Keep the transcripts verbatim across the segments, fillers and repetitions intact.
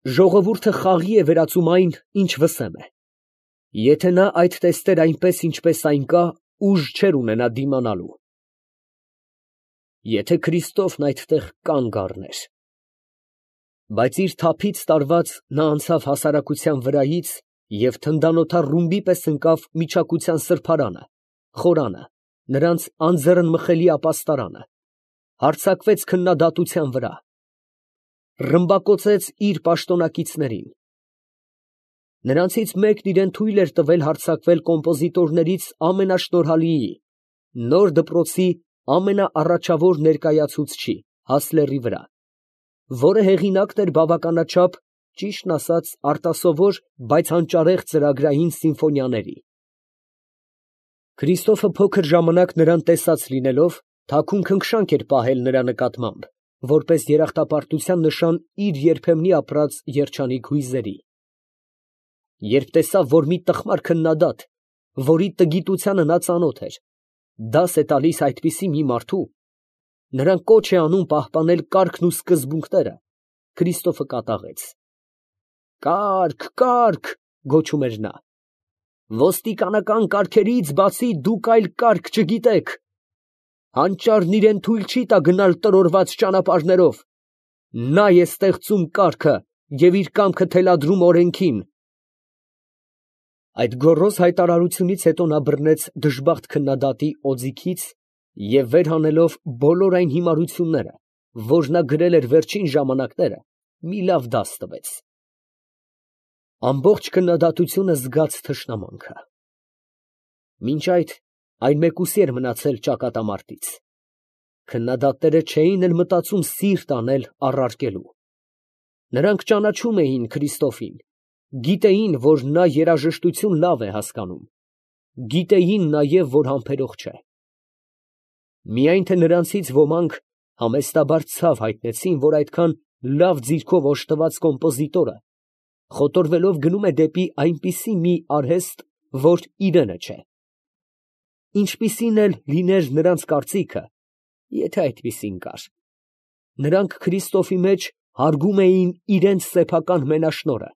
Ժողովուրդը խաղի է վերածում այն, ինչ վսեմ է. եթե նա այդ տեսներ այնպես, ինչպես այն կա, ուժ չէր ունենա դիմանալու։ Եթե Քրիստոֆն այդտեղ կանգ առներ… Բայց իր թափից տարված նա անցավ հասարակության վրայից և թնդանոթառ ռումբի պես ընկավ միջակության սրբարանը, խորանը, նրանց անձեռնմխելի ապաստարանը, հարձակվեց քննադատության վրա, ռմբակոծեց իր պաշտոնակիցներին… Նրանցից մեկն իրան թույլ էր տվել հարձակվել կոմպոզիտորներից ամենաշնորհալիի, նոր դպրոցի ամենաառաջավոր ներկայացուցչի Հասլերի վրա, որը հեղինակն էր բավականաչափ, ճիշտն ասած, արտասովոր, բայց հանճարեղ ծրագրային սիմֆոնիաների… Քրիստոֆը փոքր ժամանակ նրան տեսած լինելով, թաքուն քնքշանք էր պահել նրա նկատմամբ, որպես երախտապարտության նշան իր երբեմնի ապրած երջանիկ հույզերի… Երբ տեսավ, որ մի տխմար քննադատ, որի տգիտությանը նա ծանոթ էր, դաս է տալիս այդպիսի մի մարդու, նրան կոչ է անում պահպանել կարգն ու սկզբունքները, Քրիստոֆը կատաղեց… «Կա՛րք, կա՛րք» գոչում էր նա, «ոստիկանական կարգերից բացի դուք այլ կարգ չգիտեք… հանճարն իրան թույլ չի տա գնալ տրորված ճանապարհներով… նա է ստեղծում կարգը և իր կամքը թելադրում օրենքին…»… Այդ գոռոզ հայտարարությունից հետո նա բռնեց դժբախտ քննադատի օձիքից և վեր հանելով բոլոր այն հիմարությունները, որ նա գրել էր վերջին ժամանակները, մի լավ դաս տվեց… Ամբողջ քննադատությունը զգաց թշնամանքը… Մինչ այդ այն մեկուսի էր մնացել ճակատամարտից… Քննադատները չէին էլ մտածում սիրտ անել առարկելու… Նրանք ճանաչում էին Քրիստոֆին, գիտեին, որ նա երաժշտություն լավ է հասկանում, գիտեին նաև, որ համբերող չէ… Միայն թե նրանցից ոմանք համեստաբար ցավ հայտնեցին, որ այդքան լավ ձիրքով օժտված կոմպոզիտորը խոտորվելով գնում է դեպի այնպիսի մի արհեստ, որ իրենը չէ… Ինչպիսին էլ լիներ նրանց կարծիքը, եթե այդպիսին կար, նրանք Քրիստոֆի մեջ հարգում էին իրանց սեփական մենաշնորհը,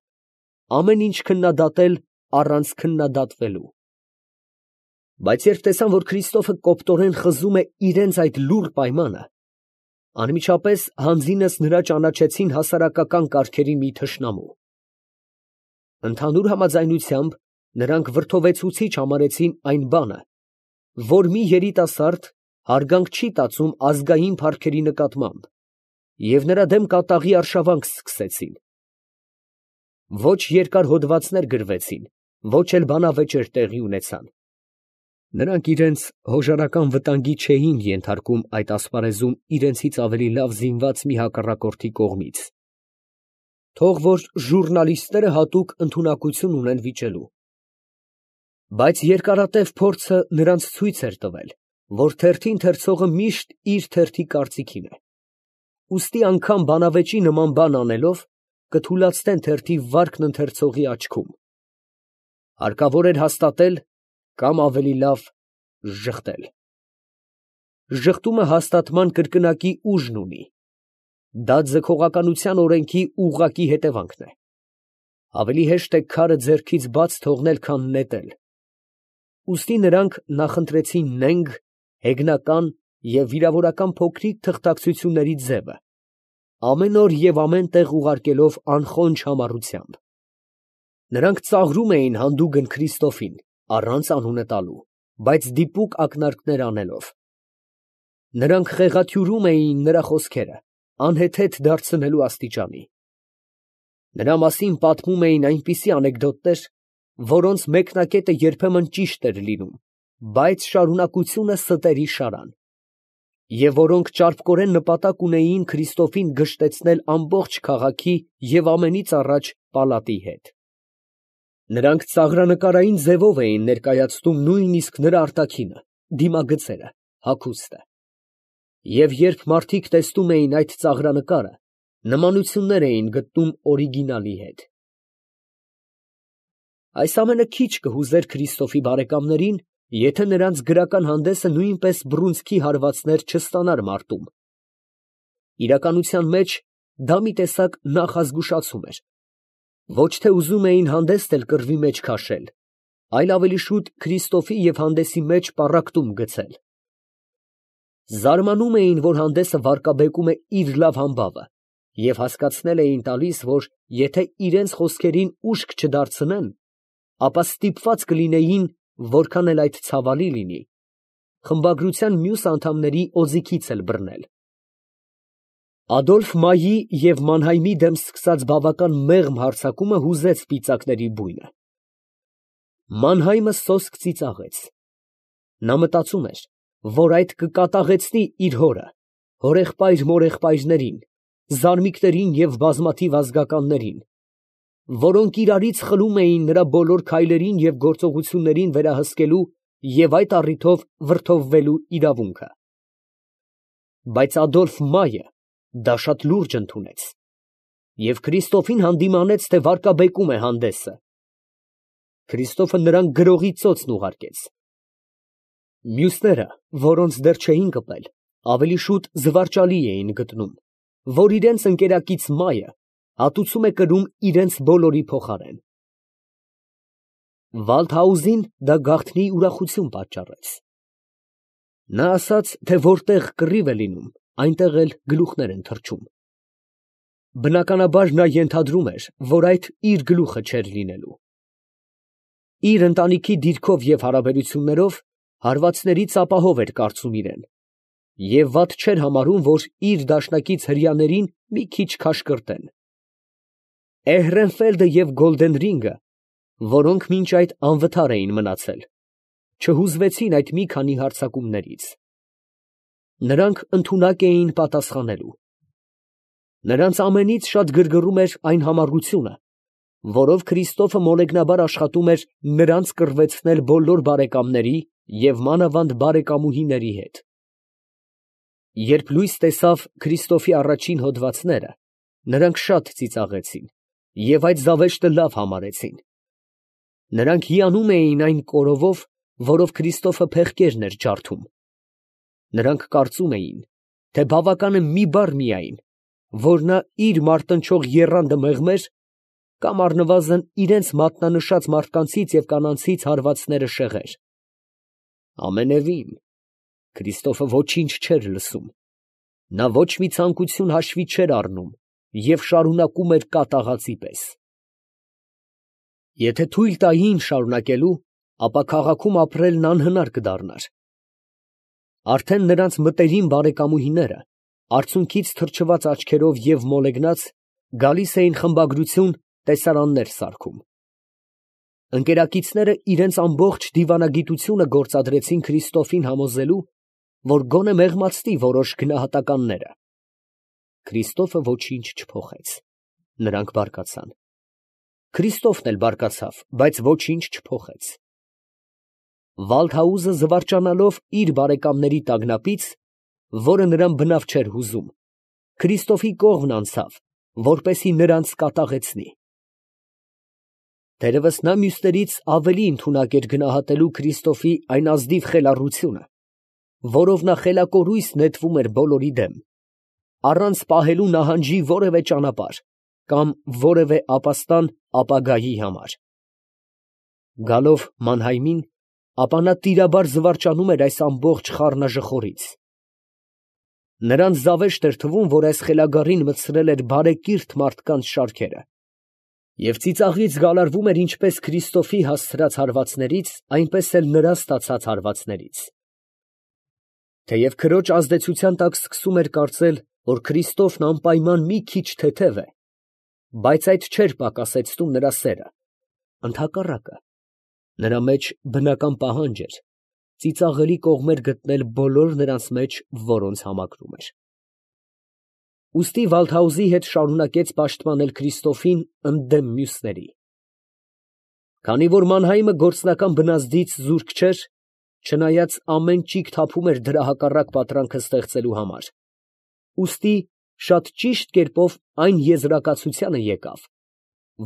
ամեն ինչ քննադատել առանց քննադատվելու… Բայց երբ տեսան, որ Քրիստոֆը կոպտորեն խզում է իրանց այդ լուռ պայմանը, անմիջապես հանձինս նրա ճանաչեցին հասարակական կարգերի մի թշնամու… Ընդհանուր համաձայնությամբ նրանք վրդովեցուցիչ համարեցին այն բանը, որ մի երիտասարդ հարգանք չի տածում ազգային փառքերի նկատմամբ, և նրա դեմ կատաղի արշավանք սկսեցին… Ոչ երկար հոդվածներ գրվեցին, ոչ էլ բանավեճեր տեղի ունեցան… Նրանք իրանց հոժարական վտանգի չէին ենթարկում այդ ասպարեզում իրենցից ավելի լավ զինված մի հակառակորդի կողմից… Թող որ ժուռնալիստները հատուկ ընդունակություն ունեն վիճելու… Բայց երկարատև փորձը նրանց ցույց էր տվել, որ թերթի ընթերցողը միշտ իր թերթի կարծիքին է… Ուստի անգամ բանավեճի նման բան անելով, կթուլացնեն թերթի վարկն ընթերցողի աչքում… Հարկավոր էր հաստատել կամ, ավելի լավ, ժխտել… Ժխտումը հաստատման կրկնակի ուժն ունի… Դա ձգողականության օրենքի ուղղակի հետևանքն է… Ավելի հեշտ է քարը ձեռքից բաց թողնել, քան նետել… Ուստի նրանք նախընտրեցին նենգ, հեգնական և վիրավորական փոքրիկ թղթակցությունների ձևը, ամեն օր և ամեն տեղ ուղարկելով անխոնջ համառությամբ… Նրանք ծաղրում էին հանդուգն Քրիստոֆին, առանց անունը տալու, բայց դիպուկ ակնարկներ անելով… Նրանք խեղաթյուրում էին նրա խոսքերը, անհեթեթ դարձնելու աստիճանի… Նրա մասին պատմում էին այնպիսի անեկդոտներ, որոնց մեկնակետը երբեմն ճիշտ էր լինում, բայց շարունակությունը ստերի շարան, և որոնք ճարպկորեն նպատակ ունեին Քրիստոֆին գժտեցնել ամբողջ քաղաքի և ամենից առաջ պալատի հետ… Նրանք ծաղրանկարային ձևով էին ներկայացնում նույնիսկ նրա արտաքինը, դիմագծերը, հագուստը… Եվ երբ մարդիկ տեսնում էին այդ ծաղրանկարը, նմանություններ էին գտնում օրիգինալի հետ… Այս ամենը քիչ կհուզեր Քրիստոֆի բարեկամներին, եթե նրանց գրական հանդեսը նույնպես բռունցքի հարվածներ չստանար մարտում… Իրականության մեջ դա մի տեսակ նախազգուշացում էր, Ոչ թե ուզում էին հանդեստ էլ կռվի մեջ քաշել, այլ ավելի շուտ Քրիստոֆի և հանդեսի մեջ պառակտում գցել. զարմանում էին, որ հանդեսը վարկաբեկում է իր լավ համբավը, և հասկացնել էին տալիս, որ եթե իրենց խոսքերին ուշք չդարձնեն, ապա ստիպված կլինեին, որքան էլ այդ ցավալի լինի, խմբագրության մյուս անդամների օձիքից էլ բռնել։ Ադոլֆ Մայի և Մանհայմի դեմ սկսած բավական մեղմ հարձակումը հուզեց պիծակների բույնը։ Մանհայմը սոսկ ծիծաղեց. նա մտածում էր, որ այդ կկատաղեցնի իր հորը, հորեղբայր֊մորեղբայրներին, զարմիկներին և բազմաթիվ ազգականներին, որոնք իրարից խլում էին նրա բոլոր քայլերին և գործողություններին վերահսկելու և այդ առիթով վրդովվելու իրավունքը։ Բայց Ադոլֆ Մայը դա շատ լուրջ ընդունեց և Քրիստոֆին հանդիմանեց, թե վարկաբեկում է հանդեսը։ Քրիստոֆը նրան գրողի ծոցն ուղարկեց։ Մյուսները, որոնց դեռ չէին կպել, ավելի շուտ զվարճալի էին գտնում, որ իրենց ընկերակից Մայը հատուցում է կրում իրենց բոլորի փոխարեն։ Վալդհաուզին դա գաղտնի ուրախություն պատճառեց։ Նա ասաց, թե որտեղ կռիվ է լինում, այնտեղ էլ գլուխներ են թռչում։ Բնականաբար նա ենթադրում էր, որ այդ իր գլուխը չէր լինելու։ Իր ընտանիքի դիրքով և հարաբերություններով հարվածներից ապահով էր կարծում իրեն և վատ չէր համարում, որ իր դաշնակից հրեաներին մի քիչ քաշկրտեն։ Էհրենֆելդը և Գոլդենրինգը, որոնք մինչ այդ անվթար էին մնացել, չհուզվեցին այդ մի քանի հարձակումներից։ Նրանք ընդունակ էին պատասխանելու։ Նրանց ամենից շատ գրգռում էր այն համառությունը, որով Քրիստոֆը մոլեգնաբար աշխատում էր նրանց կռվեցնել բոլոր բարեկամների և մանավանդ բարեկամուհիների հետ։ Երբ լույս տեսավ Քրիստոֆի առաջին հոդվածները, նրանք շատ ծիծաղեցին և այդ զավեշտը լավ համարեցին։ Նրանք հիանում էին այն կորովով, որով Քրիստոֆը փեղկերն էր ջարդում։ Նրանք կարծում էին, թե բավական է մի բառ միայն, որ նա իր մարտնչող եռանդը մեղմեր, կամ առնվազն իրենց մատնանշած մարդկանցից և կանանցից հարվածները շեղեր։ Ամենևին, Քրիստոֆը ոչինչ չէր լսում, նա ոչ մի ցանկություն հաշվի չէր առնում և շարունակում էր կատաղածի պես։ Եթե թույլ տային շարունակելու, ապա քաղաքում ապրելն անհնար կդառնար։ Արդեն նրանց մտերիմ բարեկամուհիները, արցունքից թրջված աչքերով և մոլեգնած, գալիս էին խմբագրություն տեսարաններ սարքում։ Ընկերակիցները իրենց ամբողջ դիվանագիտությունը գործադրեցին Քրիստոֆին համոզելու, որ գոնե մեղմացնի որոշ գնահատականները։ Քրիստոֆը ոչինչ չփոխեց։ Նրանք բարկացան։ Քրիստոֆն էլ բարկացավ, բայց ոչինչ չփոխեց։ Վալդհաուզը զվարճանալով իր բարեկամների տագնապից, որը նրան բնավ չէր հուզում, Քրիստոֆի կողմն անցավ, որպեսզի նրանց կատաղեցնի։ Թերևս նա մյուսներից ավելի ընդունակ էր գնահատելու Քրիստոֆի այն ազնիվ խելառությունը, որով նա խելակորույս նետվում էր բոլորի դեմ, առանց պահելու նահանջի որևէ ճանապարհ կամ որևէ ապաստան ապագայի համար։ Գալով Մանհայմին, ապա նա տիրաբար զվարճանում էր այս ամբողջ խառնաժխորից։ Նրան զավեշտ էր թվում, որ այս խելագարին մտցրել էր բարեկիրթ մարդկանց շարքերը, և ծիծաղից գալարվում էր ինչպես Քրիստոֆի հասցրած հարվածներից, այնպես էլ նրա ստացած հարվածներից։ Թեև քրոջ ազդեցության տակ սկսում էր կարծել, որ Քրիստոֆն անպայման մի քիչ թեթև է, բայց այդ չէր պակասեցնում նրա սերը, ընդհակառակը, նրա մեջ բնական պահանջ էր ծիծաղելի կողմեր գտնել բոլոր նրանց մեջ, որոնց համակրում էր։ Ուստի Վալդհաուզի հետ շարունակեց պաշտպանել Քրիստոֆին ընդդեմ մյուսների։ Քանի որ Մանհայմը գործնական բնազդից զուրկ չէր, չնայած ամեն ճիգ թափում էր դրա հակառակ պատրանքը ստեղծելու համար, ուստի շատ ճիշտ կերպով այն եզրակացությանը եկավ,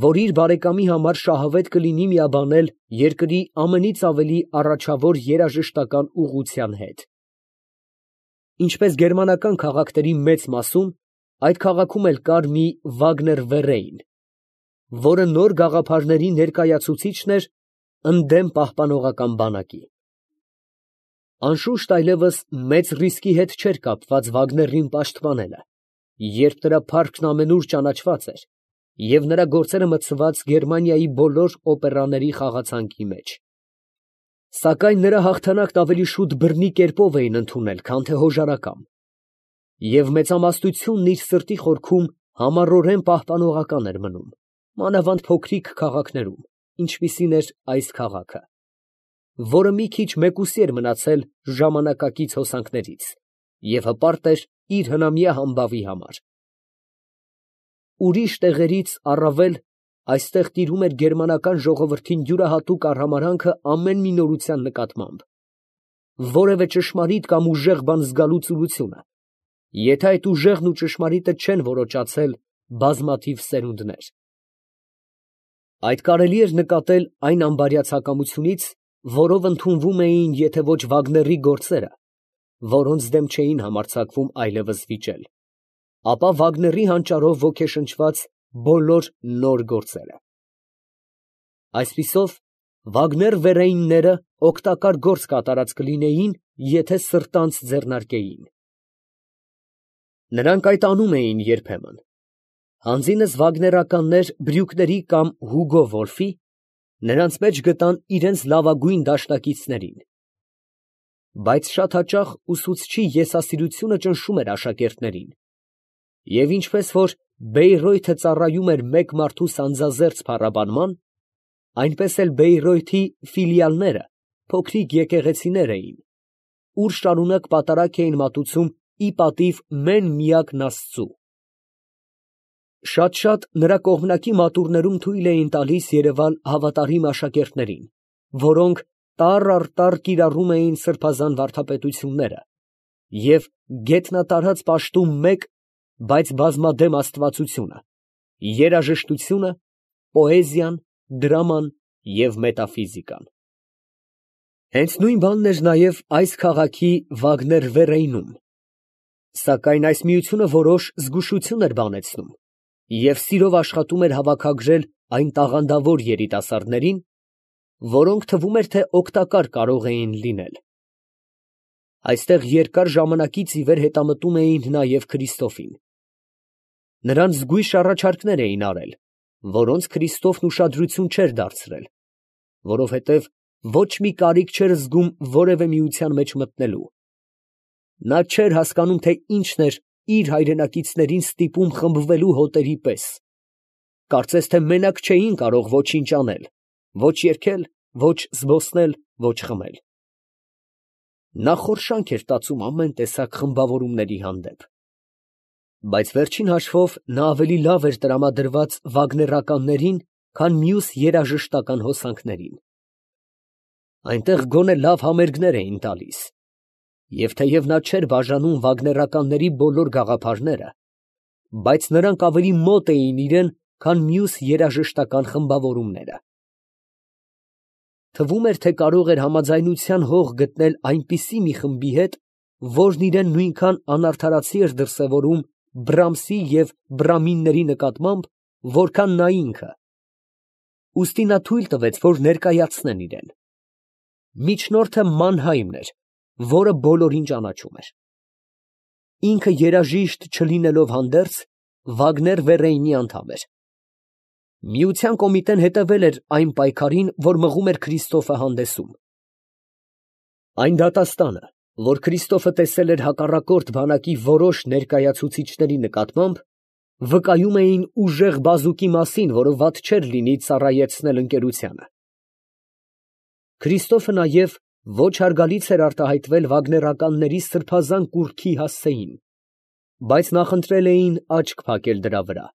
որ իր բարեկամի համար շահավետ կլինի միաբանել երկրի ամենից ավելի առաջավոր երաժշտական ուղղության հետ։ Ինչպես գերմանական քաղաքների մեծ մասում, այդ քաղաքում էլ կար մի Վագներ Վեռեյն, որը նոր գաղափարների ներկայացուցիչն էր ընդդեմ պահպանողական բանակի։ Անշուշտ այլևս մեծ ռիսկի հետ չէր կապված Վագներին պաշտպանելը, երբ նրա փառքն ամենուր ճանաչված էր և նրա գործերը մտցված Գերմանիայի բոլոր օպերաների խաղացանկի մեջ։ Սակայն նրա հաղթանակն ավելի շուտ բռնի կերպով էին ընդունել, քան թե հոժարակամ, և մեծամասնությունն իր սրտի խորքում համառորեն պահպանողական էր մնում, մանավանդ փոքրիկ քաղաքներում, ինչպիսին էր այս քաղաքը, որը մի քիչ մեկուսի էր մնացել ժամանակակից հոսանքներից և հպարտ էր իր հնամյա համբավի համար։ Ուրիշ տեղերից առավել այստեղ տիրում էր գերմանական ժողովրդին յուրահատուկ արհամարհանքը ամեն մի նորության նկատմամբ, որևէ ճշմարիտ կամ ուժեղ բան զգալու ծուլությունը, եթե այդ ուժեղն ու ճշմարիտը չեն որոճացել բազմաթիվ սերունդներ։ Այդ կարելի էր նկատել այն անբարյացակամությունից, որով ընդունվում էին եթե ոչ Վագների գործերը, որոնց դեմ չէին համարձակվում այլևս վիճել, ապա Վագների հանճարով ոգեշնչված բոլոր նոր գործերը։ Այսպիսով, Վագներ֊Վերեյնները օգտակար գործ կատարած կլինեին, եթե սրտանց ձեռնարկեին։ Նրանք այդ անում էին երբեմն։ Հանձինս վագներականներ Բրյուկների կամ Հուգո Վոլֆի նրանց մեջ գտան իրենց լավագույն դաշնակիցներին։ Բայց շատ հաճախ ուսուցչի եսասիրությունը ճնշում էր աշակերտներին, և ինչպես որ Բեյրոյթը ծառայում էր մեկ մարդու սանձազերծ փառաբանման, այնպես էլ Բեյրոյթի ֆիլիալները փոքրիկ եկեղեցիներ էին, ուր շարունակ պատարագ էին մատուցում ի պատիվ մեն֊միակն Աստծու։ Շատ֊շատ նրա կողմնակի մատուռներում թույլ էին տալիս երևալ հավատարիմ աշակերտներին, որոնք տառ առ տառ կիրառում էին սրբազան վարդապետությունները և գետնատարած պաշտում մեկ, բայց բազմադեմ աստվածությունը, երաժշտությունը, պոեզիան, դրաման և մետաֆիզիկան։ Հենց նույն բանն էր նաև այս քաղաքի Վագներ֊Վերեյնում, սակայն այս միությունը որոշ զգուշություն էր բանեցնում և սիրով աշխատում էր հավաքագրել այն տաղանդավոր երիտասարդներին, որոնք թվում էր, թե օգտակար կարող էին լինել։ Այստեղ երկար ժամանակից ի վեր հետամտում էին նաև Քրիստոֆին։ Նրան զգույշ առաջարկներ էին արել, որոնց Քրիստոֆն ուշադրություն չէր դարձրել, որովհետև ոչ մի կարիք չէր զգում որևէ միության մեջ մտնելու։ Նա չէր հասկանում, թե ինչն էր իր հայրենակիցներին ստիպում խմբվելու հոտերի պես, կարծես թե մենակ չէին կարող ոչինչ անել, ոչ երգել, ոչ զբոսնել, ոչ խմել։ Նա խորշանք էր տածում ամեն տեսակ խմբավորումների հանդեպ, բայց վերջին հաշվով նա ավելի լավ էր տրամադրված վագներականներին, քան մյուս երաժշտական հոսանքներին։ Այնտեղ գոնե լավ համերգներ էին տալիս, և թեև նա չէր բաժանում վագներականների բոլոր գաղափարները, բայց նրանք ավելի մոտ էին իրան, քան մյուս երաժշտական խմբավորումները։ Թվում էր, թե կարող էր համաձայնության հող գտնել այնպիսի մի խմբի հետ, որն իրան նույնքան անարդարացի էր դրսևորում Բրամսի և Բրամինների նկատմամբ, որքան նա ինքը, ուստի նա թույլ տվեց, որ ներկայացնեն իրան։ Միջնորդը Մանհայմն էր, որը բոլորին ճանաչում էր։ Ինքը երաժիշտ չլինելով հանդերձ, Վագներ֊Վերեյնի անդամ էր։ Միության կոմիտեն հետևել էր այն պայքարին, որ մղում էր Քրիստոֆը հանդեսում։ Այն դատաստանը, որ Քրիստոֆը տեսել էր հակառակորդ բանակի որոշ ներկայացուցիչների նկատմամբ, վկայում էին ուժեղ բազուկի մասին, որը վատ չէր լինի ծառայեցնել ընկերությանը։ Քրիստոֆը նաև ոչ հարգալից էր արտահայտվել վագներականների սրբազան կուռքի հասցեին, բայց նախընտրել էին աչք փակել դրա վրա,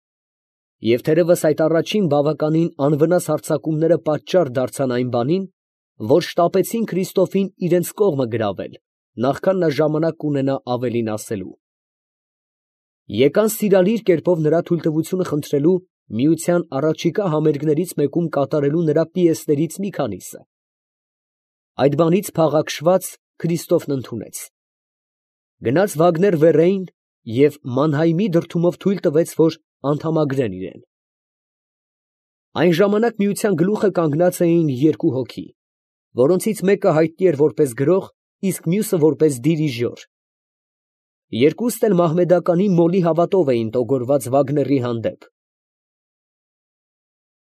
և թերևս այդ առաջին բավականին անվնաս հարձակումները պատճառ դարձան այն բանին, որ շտապեցին Քրիստոֆին իրենց կողմը գրավել, նախքան նա ժամանակ կունենա ավելին ասելու։ Եկան սիրալիր կերպով նրա թույլտվությունը խնդրելու միության առաջիկա համերգներից մեկում կատարելու նրա պիեսներից մի քանիսը։ Այդ բանից փաղաքշված Քրիստոֆն ընդունեց։ Գնաց Վագներ֊Վերեյն և Մանհայմի դրդումով թույլ տվեց, որ անդամագրեն իրան։ Այն ժամանակ միության գլուխը կանգնած էին երկու հոգի, որոնցից մեկը հայտնի էր որպես գրող, իսկ մյուսը որպես դիրիժոր. երկուսն էլ մահմեդականի մոլի հավատով էին տոգորված Վագների հանդեպ։